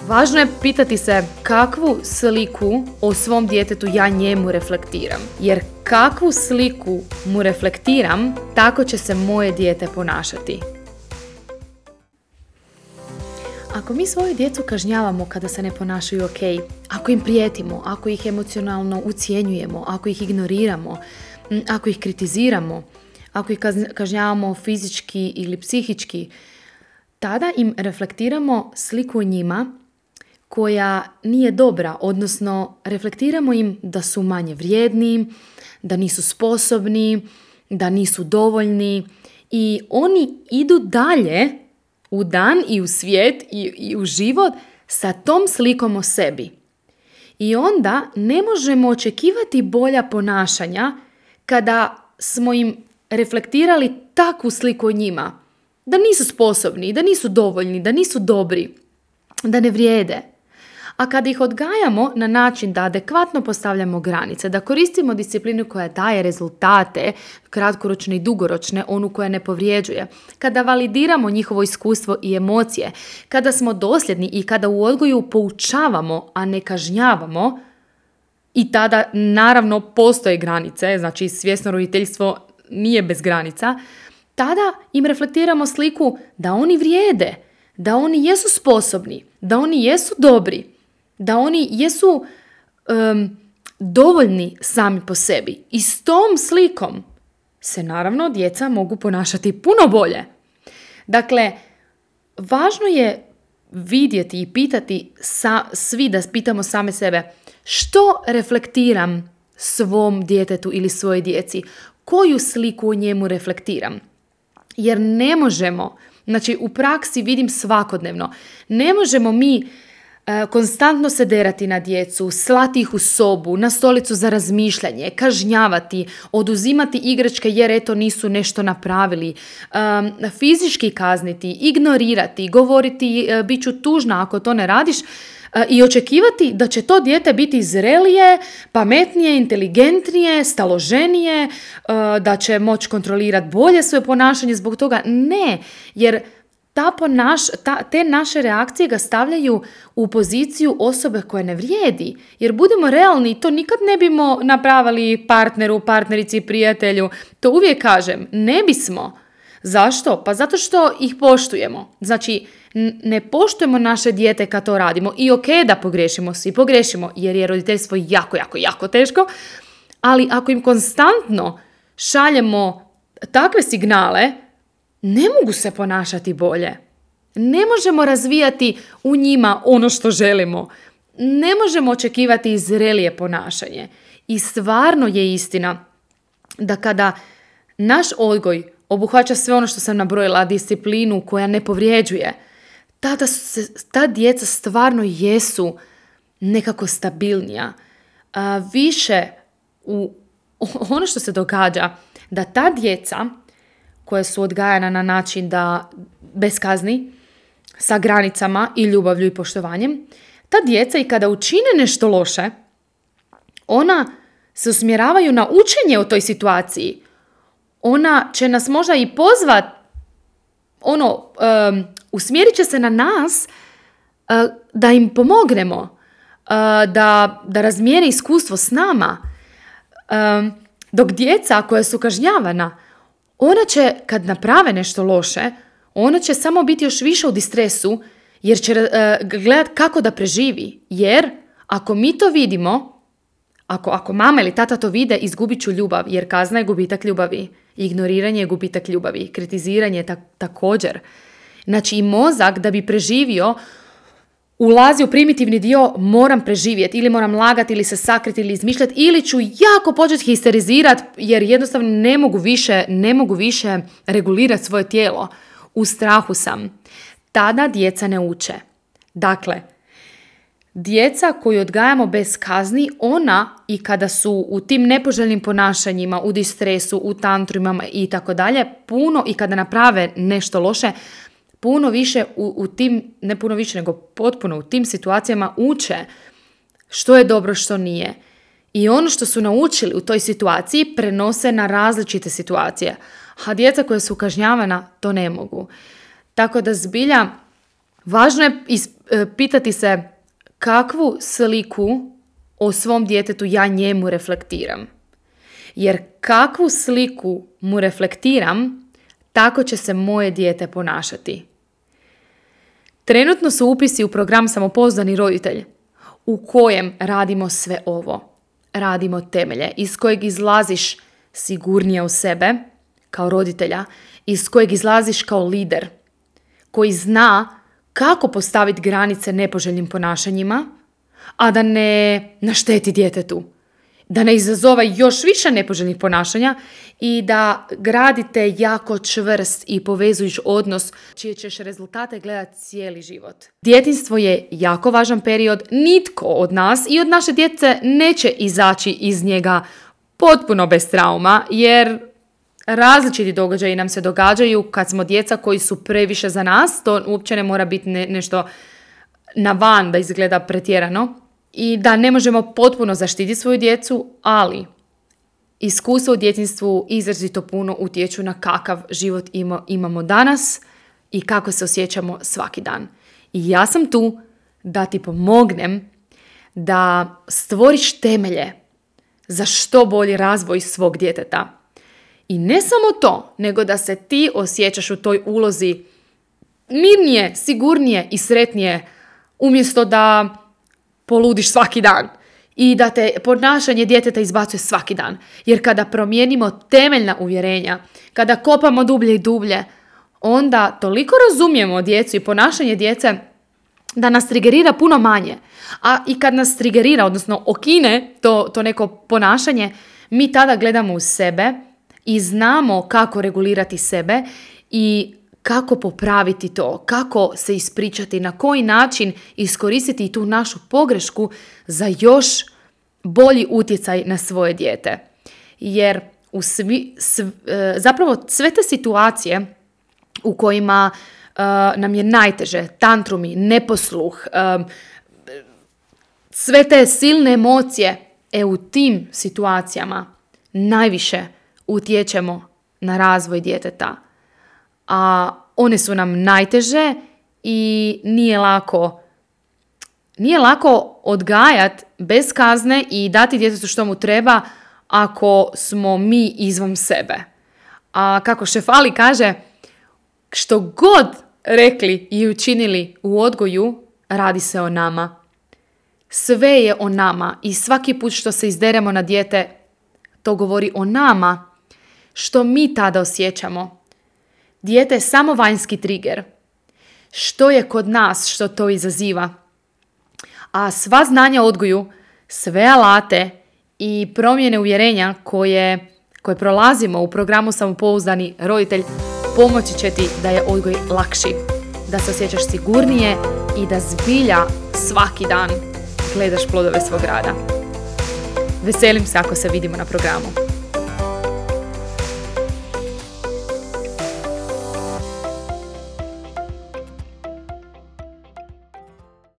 Važno je pitati se kakvu sliku o svom djetetu ja njemu reflektiram. Jer kakvu sliku mu reflektiram, tako će se moje dijete ponašati. Ako mi svoju djecu kažnjavamo kada se ne ponašaju ok, ako im prijetimo, ako ih emocionalno ucjenjujemo, ako ih ignoriramo, ako ih kritiziramo, ako ih kažnjavamo fizički ili psihički, tada im reflektiramo sliku o njima koja nije dobra, odnosno reflektiramo im da su manje vrijedni, da nisu sposobni, da nisu dovoljni i oni idu dalje u dan i u svijet i u život sa tom slikom o sebi. I onda ne možemo očekivati bolja ponašanja kada smo im reflektirali takvu sliku o njima. Da nisu sposobni, da nisu dovoljni, da nisu dobri, da ne vrijede. A kada ih odgajamo na način da adekvatno postavljamo granice, da koristimo disciplinu koja daje rezultate, kratkoročne i dugoročne, onu koja ne povrijeđuje, kada validiramo njihovo iskustvo i emocije, kada smo dosljedni i kada u odgoju poučavamo, a ne kažnjavamo, i tada naravno postoje granice, znači svjesno roditeljstvo nije bez granica, tada im reflektiramo sliku da oni vrijede, da oni jesu sposobni, da oni jesu dobri, da oni jesu dovoljni sami po sebi. I s tom slikom se naravno djeca mogu ponašati puno bolje. Dakle, važno je vidjeti i pitati svi da pitamo same sebe što reflektiram svom djetetu ili svojoj djeci, koju sliku o njemu reflektiram. Jer ne možemo, znači u praksi vidim svakodnevno, ne možemo mi konstantno se derati na djecu, slati ih u sobu, na stolicu za razmišljanje, kažnjavati, oduzimati igračke jer eto nisu nešto napravili, fizički kazniti, ignorirati, govoriti bit ću tužna ako to ne radiš i očekivati da će to dijete biti zrelije, pametnije, inteligentnije, staloženije, da će moći kontrolirati bolje svoje ponašanje zbog toga. Ne, jer te naše reakcije ga stavljaju u poziciju osobe koje ne vrijedi. Jer budemo realni, to nikad ne bimo napravili partneru, partnerici, prijatelju. To uvijek kažem, ne bismo. Zašto? Pa zato što ih poštujemo. Znači, ne poštujemo naše dijete kad to radimo. I ok da pogrešimo, svi pogrešimo, jer je roditeljstvo jako, jako, jako teško. Ali ako im konstantno šaljemo takve signale, ne mogu se ponašati bolje. Ne možemo razvijati u njima ono što želimo. Ne možemo očekivati zrelije ponašanje. I stvarno je istina da kada naš odgoj obuhvaća sve ono što sam nabrojila, disciplinu koja ne povrijeđuje, ta djeca stvarno jesu nekako stabilnija. Više ono što se događa, da ta djeca koja su odgajana na način da bez kazni, sa granicama i ljubavlju i poštovanjem, ta djeca i kada učine nešto loše, ona se usmjeravaju na učenje o toj situaciji. Ona će nas možda i pozvat, usmjerit će se na nas da im pomognemo, da razmijene iskustvo s nama. Dok djeca koja su kažnjavana, ona će, kad naprave nešto loše, ona će samo biti još više u distresu jer će gledati kako da preživi. Jer ako mi to vidimo, ako mama ili tata to vide, izgubit ću ljubav, jer kazna je gubitak ljubavi. Ignoriranje je gubitak ljubavi. Kritiziranje je također. Znači i mozak da bi preživio ulazi u primitivni dio moram preživjeti ili moram lagati ili se sakriti ili izmišljati ili ću jako početi histerizirati jer jednostavno ne mogu više regulirati svoje tijelo. U strahu sam. Tada djeca ne uče. Dakle, djeca koju odgajamo bez kazni, ona i kada su u tim nepoželjnim ponašanjima, u distresu, u tantrumama i tako dalje, puno i kada naprave nešto loše, puno više u tim, ne puno više nego potpuno u tim situacijama uče što je dobro, što nije. I ono što su naučili u toj situaciji prenose na različite situacije. A djeca koja su kažnjavana to ne mogu. Tako da zbilja Važno je pitati se kakvu sliku o svom djetetu ja njemu reflektiram. Jer kakvu sliku mu reflektiram, tako će se moje dijete ponašati. Trenutno su upisi u program Samopouzdani roditelj, u kojem radimo sve ovo. Radimo temelje iz kojeg izlaziš sigurnije u sebe kao roditelja, iz kojeg izlaziš kao lider koji zna kako postaviti granice nepoželjnim ponašanjima, a da ne našteti djetetu, da ne izazove još više nepoželjnih ponašanja i da gradite jako čvrst i povezujuć odnos čije ćeš rezultate gledati cijeli život. Djetinjstvo je jako važan period, nitko od nas i od naše djece neće izaći iz njega potpuno bez trauma, jer različiti događaji nam se događaju kad smo djeca koji su previše za nas, to uopće ne mora biti nešto na van da izgleda pretjerano i da ne možemo potpuno zaštititi svoju djecu, ali iskustvo u djetinjstvu izrazito puno utječu na kakav život imamo danas i kako se osjećamo svaki dan. I ja sam tu da ti pomognem da stvoriš temelje za što bolji razvoj svog djeteta. I ne samo to, nego da se ti osjećaš u toj ulozi mirnije, sigurnije i sretnije, umjesto da poludiš svaki dan i da te ponašanje djeteta izbacuje svaki dan. Jer kada promijenimo temeljna uvjerenja, kada kopamo dublje i dublje, onda toliko razumijemo djecu i ponašanje djece da nas trigerira puno manje. A i kad nas trigerira, odnosno okine to neko ponašanje, mi tada gledamo u sebe i znamo kako regulirati sebe i kako popraviti to, kako se ispričati, na koji način iskoristiti tu našu pogrešku za još bolji utjecaj na svoje dijete. Jer zapravo sve te situacije u kojima nam je najteže, tantrumi, neposluh, sve te silne emocije, u tim situacijama najviše utječemo na razvoj djeteta. A one su nam najteže i nije lako odgajati bez kazne i dati djetetu što mu treba ako smo mi izvan sebe. A kako Šefali kaže, što god rekli i učinili u odgoju, radi se o nama. Sve je o nama i svaki put što se izderemo na dijete, to govori o nama, što mi tada osjećamo. Dijete je samo vanjski trigger. Što je kod nas što to izaziva? A sva znanja o odgoju, sve alate i promjene uvjerenja koje prolazimo u programu Samopouzdani roditelj pomoći će ti da je odgoj lakši, da se osjećaš sigurnije i da zbilja svaki dan gledaš plodove svog rada. Veselim se ako se vidimo na programu.